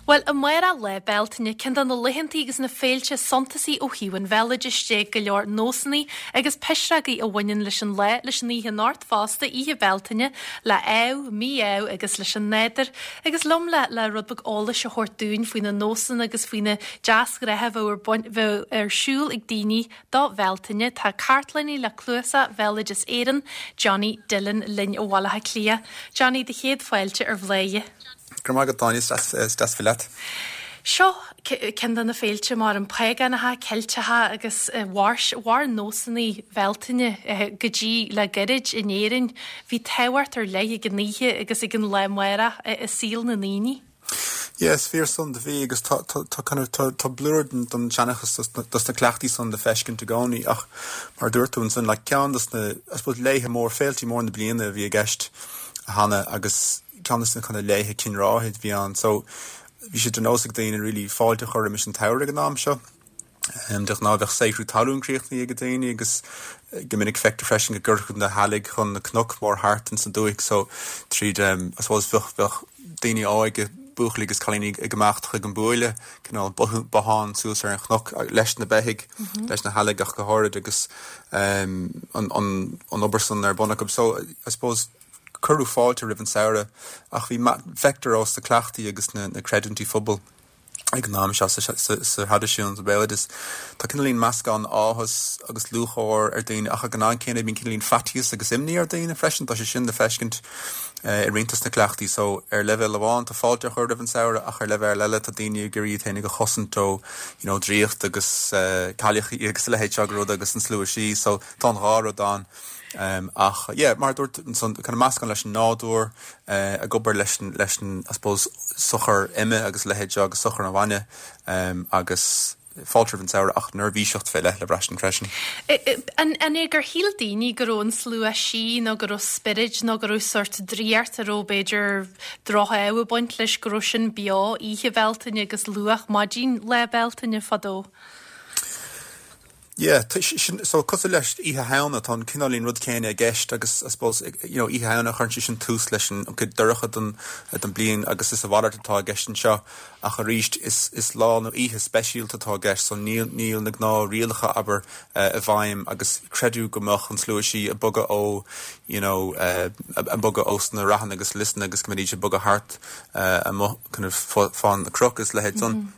Bhuel, amárach Lá Bealtaine, ceann de na laethantaí agus na féilte suntasaí ó thaobh an bhéaloidis de, go leor nósanna agus pisreogaí a bhaineann leis an lá, leis an oíche anocht fosta, Oíche Bealtaine, le ádh, mí-ádh agus leis an nádúr. Agus liom le le rud beag eolais a thabhairt dúinn faoi na nósanna agus faoi na deasghnátha a bheadh ar bun, bheadh ar siúl ag daoine do Bhealtaine, tá cartlannaí le Cnuasach Bhéaloideas Éireann, Johnny Dillon linn ó Bhaile Átha Cliath. Johnny, do chéad fáilte ar Bhladhaire. Go raibh maith agat, Áine, is deas bheith leat. Seo ceann de na féilte mar an págánacha, Ceilteacha agus mhair mhair nósanna Bhealtaine go dtí le gairid in Éirinn. Bhí tábhacht ar leith ag an oíche agus ag an lá amárach i saol na ndaoine. Yeah, is fíor san do bhí agus tá tá tá kind of tá tá blúire den den seanchas dos na dos na cleachtaí san le feiscint i gcónaí ach mar a dúirt tú ansan like ceann dos na I suppose laethe mór féiltí mór na bliana a bhí i gceist cheana agus ceann de na kind of laethe cinn ráithe a bhí ann. So bhí sé de nós ag daoine really fáilte a chur roimis an tsamhradh ag an am seo. De ghnáth bheadh saothrú talún críochnaithe ag daoine agus go minic feictear freisin go gcuirfeadh na heallaigh chun na cnoc mór thart ins an dúthaigh so tríd I suppose bheadh bheadh daoine óige, buachaillí agus cailíní ag imeacht chuig an buaile, cineál bothán suas ar an chnoc leis na beithígh, leis na heallaigh ach go háirid agus an an an obair san ar bun acu. So I suppose Cuireadh fáilte roimh an samhradh ach bhí, feictear ós na cleachtaí agus na creidiúintí phobail ag an am seo sa thraidisiún, sa bhéaloideas. Tá cineáilín meascán áthas agus lúcháir ar daoine ach ag an am céanna bíonn cineáilín faitíos agus imní ar daoine freisin. Tá sé sin le feiscint i roinnt dos na cleachtaí so ar leibhéal amháin tá fáilte á chur roimh an samhradh ach ar leibhéal eile tá daoine ag iarraidh iad féinig a chosaint ó you know draíocht agus cailleachaí agus a leithéid seo de rud agus an slua sí so tá an dhá rud ann. Ach yeah, mar a dúirt ansan, kind of meascán leis an nádúr, ag obair leis an, leis an, I suppose, sochar ime agus a leithéid seo agus sochar an bhainne agus fáilte roimh an samhradh ach neirbhíseacht fé leith le braistint freisin. An é gur shíl daoine go raibh an slua sí nó go raibh spioraid nó go raibh sórt draíocht a raibh b'fhéidir droch-ádh ag baint leis, go raibh sin beo oíche Bhealtaine agus luath maidin Lá Bealtaine fadó? Yeah, tá sin, so cosúil leis Oíche Shamhna, tá an cineáilín rud céanna i gceist agus I suppose, you know, Oíche Shamhna cuireann sé sin tús leis an chuid dorcha den, den bliain agus is a mhalairt atá i gceist anseo ach arís is, is lá nó oíche speisialta atá i gceist so níl, níl na gnáth rialacha, abair, i bhfeidhm agus creideadh go mbeadh an slua sí ag bogadh ó, you know, ag bogadh ós na ráthanna agus liosanna agus go mbeidís ag bogadh thart amuigh kind of fá na cnoic agus a leithéid san.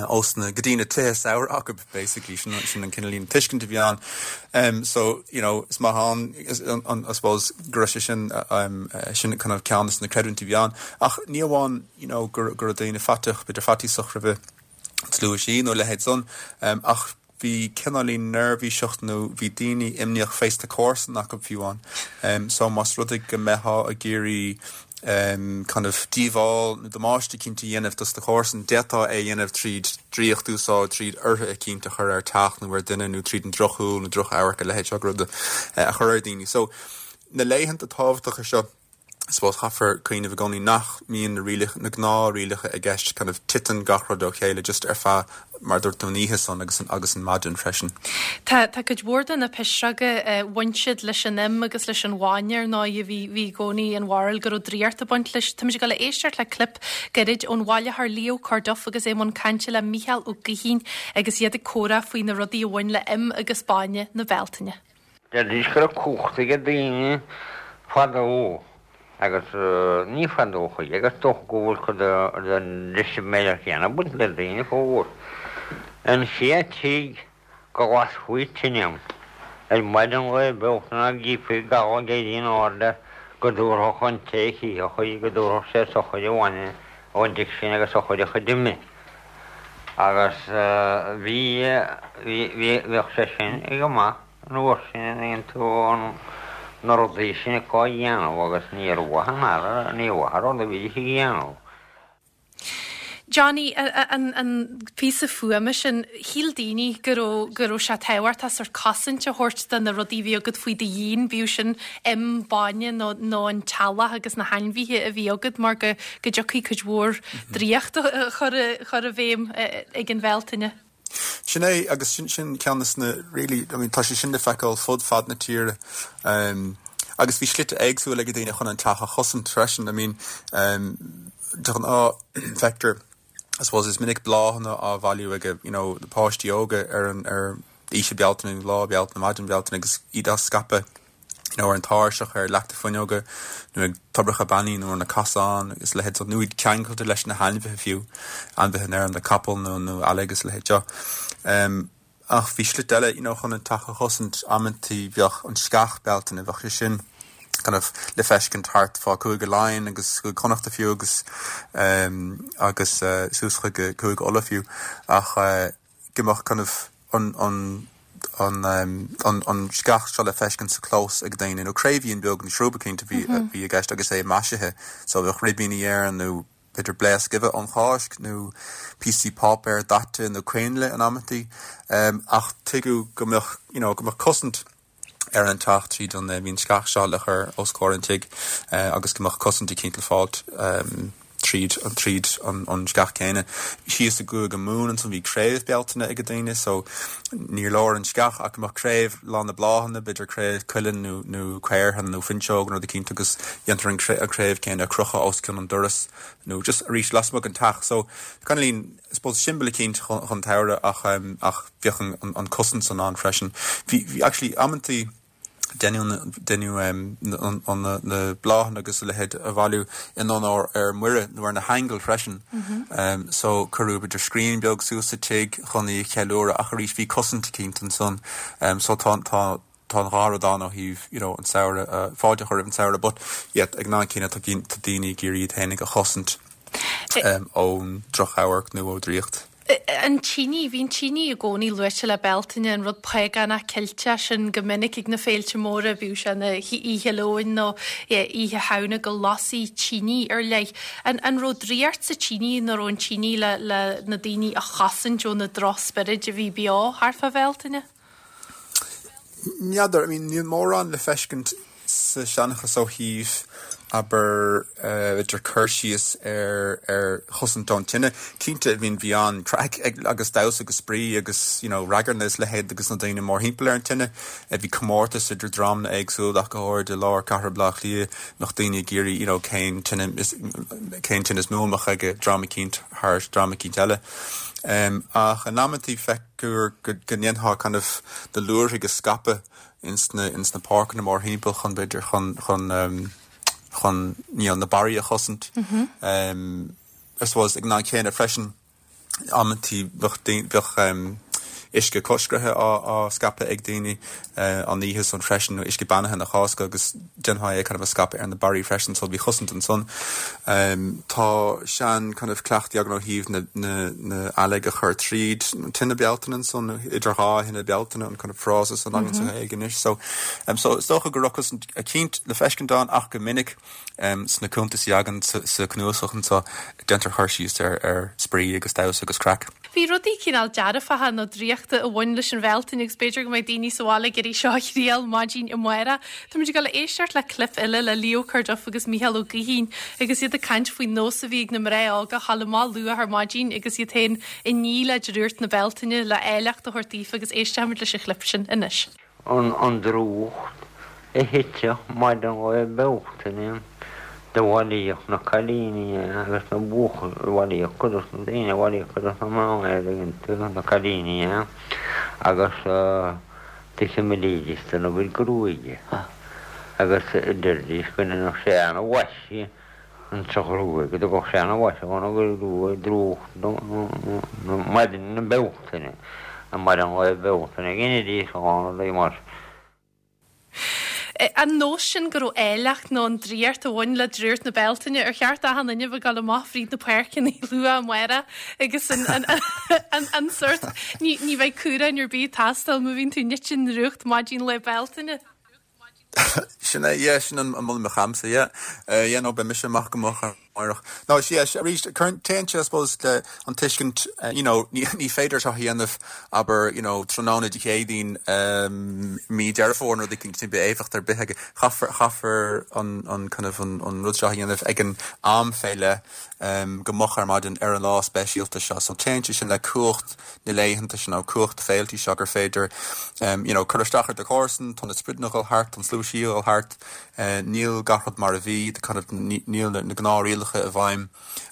ós na, go dtí na tithe samhraidh acu basically, sin sin an cineáilín tuiscint a bhí ann. Um, so, you know, is maith ann, is, an, an, I suppose, go raibh sé sin, um, sin kind of ceann de na creidiúintí a bhí ann. Ach ní amháin, you know, go, go raibh daoine faiteach, b'fhéidir faitíosach roimh an tslua sí nó a leithéid san, um, ach bhí cineáilín neirbhíseacht nó bhí daoine imníoch fés na comharsana acu fiú amháin. So más rud é go mbeitheá ag iarraidh kind of díobháil nó damáiste eicínt a dhéanamh dos na comharsain, d'fhéadfá é a dhéanamh tríd draíocht a úsáid, tríd ortha eicínt a chur ar teach nó ar duine nó tríd an drochshúil nó drochamharc a leithéid seo de rud a chur ar daoine. So na laethanta tábhachtacha seo, I suppose caithfear cuimhneamh i gcónaí nach mbíonn na rialacha, na gnáth-rialacha i gceist, kind of titeann gach rud ó chéile just ar feadh, mar a dúirt tú, an oíche san agus an, agus an maidin freisin. Tá, tá cuid mhór de na pisreoga, bhain siad leis an im agus leis an bhainne ar ndóigh, bhí, bhí i gcónaí an bharúil go raibh draíocht ag baint leis. Táimid ag dul a éisteacht le clip gairid ón bhailitheoir Leo Corduff agus é i mbun cainte le Mícheál Ó Gaoithín agus iad ag comhrá faoi na rudaí a bhain le im agus bainne na Bealtaine. Deiridís go raibh cumhacht ag daoine fadó agus ní fadó choíche agus dócha go bhfuil cuid den deisiméireacht chéanna ag baint le daoine fós. An chéad tigh go lasfaí tine ann ar maidin Lae Bealtaine ná gcífí gabha ag éirí in airde go dtabharfadh an té a chífeadh í go dtabharfadh sé sochar an bhainne ón dtigh sin agus sochar a chuid ime. Agus bhí, bhí, bhí, bheadh sé sin go maith an uair sin an dtuigeann tú an, na rudaí sin acu á dhéanamh agus níor mhaith an aire, níor mhaith an rud a bhídís ag dhéanamh. Johnny, an, an píosa fuaime sin, shíl daoine go raibh, go raibh sé tábhachtach sórt cosaint a thabhairt do na rudaí a bhí agat faoi do dhíon, bíodh sin im, bainne nó, nó an teallach agus na hainmhithe a bhí agat mar go, go dtiocfaidh cuid mhór draíocht a chur i bhfeidhm ag an Bhealtaine. Sin é, agus sin sin ceann de na really, I mean tá sé sin le feiceáil fud fad na tíre agus bhí slite éagsúla ag daoine chun an teach a chosaint freisin, I mean de ghnáth feictear. I suppose is minic bláthanna á bhailiú ag you know na páistí óga ar an ar Oíche Bealtaine nó Lá Bealtaine, maidin Bhealtaine agus iad á scaipeadh you know ar an tairseach, ar leachta fuinneoga nó ag toibreacha beannaithe nó ar na casáin agus a leithéid so nó iad ceangailte leis na hainmhithe fiú, ainmhithe an fheirm, na capaill nó nó eallaigh agus a leithéid seo. Um, ach bhí slite eile you know chun an teach a chosaint, amantaí bheadh an sceach Bealtaine, bheadh sé sin kind of le feiscint thart fá Cúige Laighean agus Cúige Connachta fiú agus um, agus uh, suas chuig Cúige Uladh fiú ach uh, go mbeadh kind of an an an an an sceach seo le feiscint sa chlós ag daoine, nó craobhín beag nó srúb eicínt a bhí a bhí i gceist agus é maisithe so bheadh ribíní air nó b'fhéidir blaosc uibhe ón Cháisc nó píosaí páipéir daite nó coinnle in amantaí ach tuigeadh go mbeadh you know go mbeadh cosaint ar an teach tríd an bhí an sceach seo le cur os comhair an tigh agus go mbeadh cosaint eicínt le fáilt tríd an tríd an an sceach céanna. Síos i gCúige Mumhan ansan bhí craobh Bealtaine ag daoine so níor leor an sceach ach go mbeadh craobh lán le bláthanna, b'fhéidir craobh cuilinn nó nó caorthann nó fuinseog nó rud eicínt agus dhéantar an an craobh céanna a chrochadh os cionn an doras nó just arís lasmuigh den teach so kind of I suppose siombail eicínt chun an tsamhraidh ach ach bheadh an an cosaint san ann freisin. Bhí bhí actually amantaí deineadh deineadh an an na na bláthanna agus a leithéid a bhailiú in onóir ar Muire nó ar na haingil freisin. So cuireadh b'fhéidir scrín beag suas sa tigh chun í a cheiliúradh ach arís bhí cosaint eicínt ansan. So tá tá tá an dhá rud ann ó thaobh you know an samhradh, fáilte a chur roimh an samhradh but yeah ag an am céanna tá tá daoine ag iarraidh iad féinig a chosaint ón drochamharc nó ó draíocht. An tine, bhí an tine i gcónaí luaite le Bealtaine, an rud págánach Ceilteach sin go minic ag na féilte móra, bíodh sé ina Oíche Leoin nó Oíche Shamhna go lasaí tine ar leith. An an raibh draíocht sa tine nó raibh an tine le le na daoine a chosaint ó na drochspioraid a bhí beo thart fá Bhealtaine? N'fheadar, I mean níl mórán le feiscint sa seanchas ó thaobh, abair, b'fhéidir cur síos ar ar chosaint ón tine. Cinnte, I mean bhí an-craic ag agus damhsa agus spraoi agus you know ragairne is leithéid agus na daoine mórthimpeall ar an tine. Bhí comórtas idir dreamanna éagsúla ach go háirid i lár cathair Bhaile Átha Cliath, mbeadh daoine ag iarraidh you know cén tine is cén tine is mó a mbeadh ag dream eicínt thar dream eicínt eile. Ach in amantaí feic gur go ndéanfá kind of na luaithrigh a scaipeadh ins na ins na páirceanna mórthimpeall chun b'fhéidir chun chun chun you know na barraí a chosaint. I suppose ag an am céanna freisin amantaí bheadh daoine bheadh uisce coiscrithe á á scaipeadh ag daoine an oíche san freisin nó uisce beannaithe na Cásca agus déanfá é kind of a scaipeadh ar na barraí freisin so bhí cosaint ansan. Tá sean kind of cleachtaí againn ó thaobh na na na eallaigh a chur tríd an tine Bealtaine ansan nó idir dhá thine Bealtaine an kind of frása san againn sa Ghaeilge anois so so is dócha go raibh cosaint eicínt le feiscint ann ach go minic sna cuntasaí againn sa sa cnuasach anseo déantar cur síos ar ar spraoi agus damhsa agus craic. Bhí rudaí cineál dearfacha nó draíochta a bhain leis an Bhealtaine agus b'fhéidir go mbeidh daoine sa bhaile ag iarraidh seo a thriail maidin amárach. Táimid ag dul a éisteacht le clip eile le Leo Corduff agus Mícheál Ó Gaoithín agus iad ag caint faoin nós a bhí ag na mná óga a ghabháil amach luath ar maidin agus iad féin ag ní le drúcht na Bealtaine le áilleacht a thabhairt daofa agus éistfimid leis an chlip sin anois. An drúcht a thiteadh maidin Lae Bealtaine do bhailíodh na cailíní agus na buachaillí, bhailíodh cuid dos na daoine, bhailíodh cuid dos na mná é dtuigeann tú, na cailíní é, agus do chimilídís dona gcuid gruaige agus deiridís go ndéanfadh sé ana-mhaise insa ghruaig, go dtugadh sé ana-mhaise dhona gruaig, drúcht maidin na Bealtaine, maidin Lae Bealtaine, dheinidís a lán rudaí mar. An nós sin go raibh áilleacht nó an draíocht a bhain le drúcht na Bealtaine, ar cheart achan duine bheith ag dul amach fríd na páirceanna luath amárach agus an, an, an, an sórt, ní, ní bheidh cumhrán ar bith ag teastáil má bhíonn tú nite i ndrúcht maidin Lae Bealtaine. Sin é, yeah, sin an moladh a bheadh agamsa, yeah. Yeah, no, beidh mise amach go moch amárach. No, yeah, arís, cuireann, téann sé, I suppose, le an tuiscint, you know, ní, ní féidir seo a dhéanamh, abair, you know, tráthnóna Dé Céadaoin, mí Deireadh Fómhair nó rud éicint, ní bheidh éifeacht ar bith aige. Chaithfear, chaithfear an, an kind of, an, an rud seo a dhéanamh ag an am fé leith, go moch ar maidin ar an lá speisialta seo. So téann sé sin le cumhacht na laethanta sin nó cumhacht na féiltí seo gur féidir you know cur isteach ar do chomharsan, tá na sprideanna ag dul thart, tá an slua sí ag dul thart, níl gach rud mar a bhí, kind of níl na gnáthrialacha. rialacha i bhfeidhm.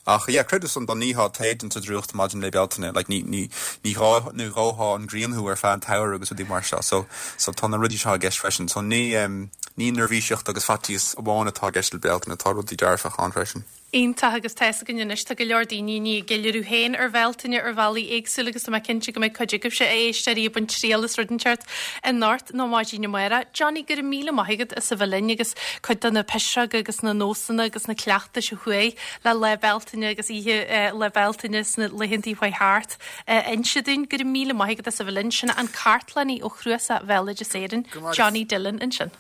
Ach yeah, creideamh san dá nítheá tae sa drúcht maidin Lae Bealtaine, like ní, ní, ní dhá, ní dhóthá an ghrian thú ar feadh an tsamhraidh agus rudaí mar seo. So, so tá na rudaí seo i gceist freisin. So ní, em, ní neirbhíseacht agus faitíos amháin atá i gceist le Bealtaine, tá rudaí dearfacha ann freisin. Iontach agus tá's againn anois tá go leor daoine i ndiaidh a gceiliúradh féin ar Bhealtaine ar bhealaí éagsúla agus tá mé cinnte go mbeidh cuid agaibhse a éisteoirí ag baint triail as rud inteacht anocht nó maidin amárach. Johnny, go raibh míle maith agat as a bheith linn agus cuid de na pisreoga agus na nósanna agus na cleachtais a chuaigh le Lá Bealtaine agus oíche Lá Bealtaine sna laethantaí a chuaigh thart a inse dúinn. Go raibh míle maith agat as a bheith linn. Sin an cartlannaí ó Chnuasach Bhéaloideas Éireann, Johnny Dillon ansin.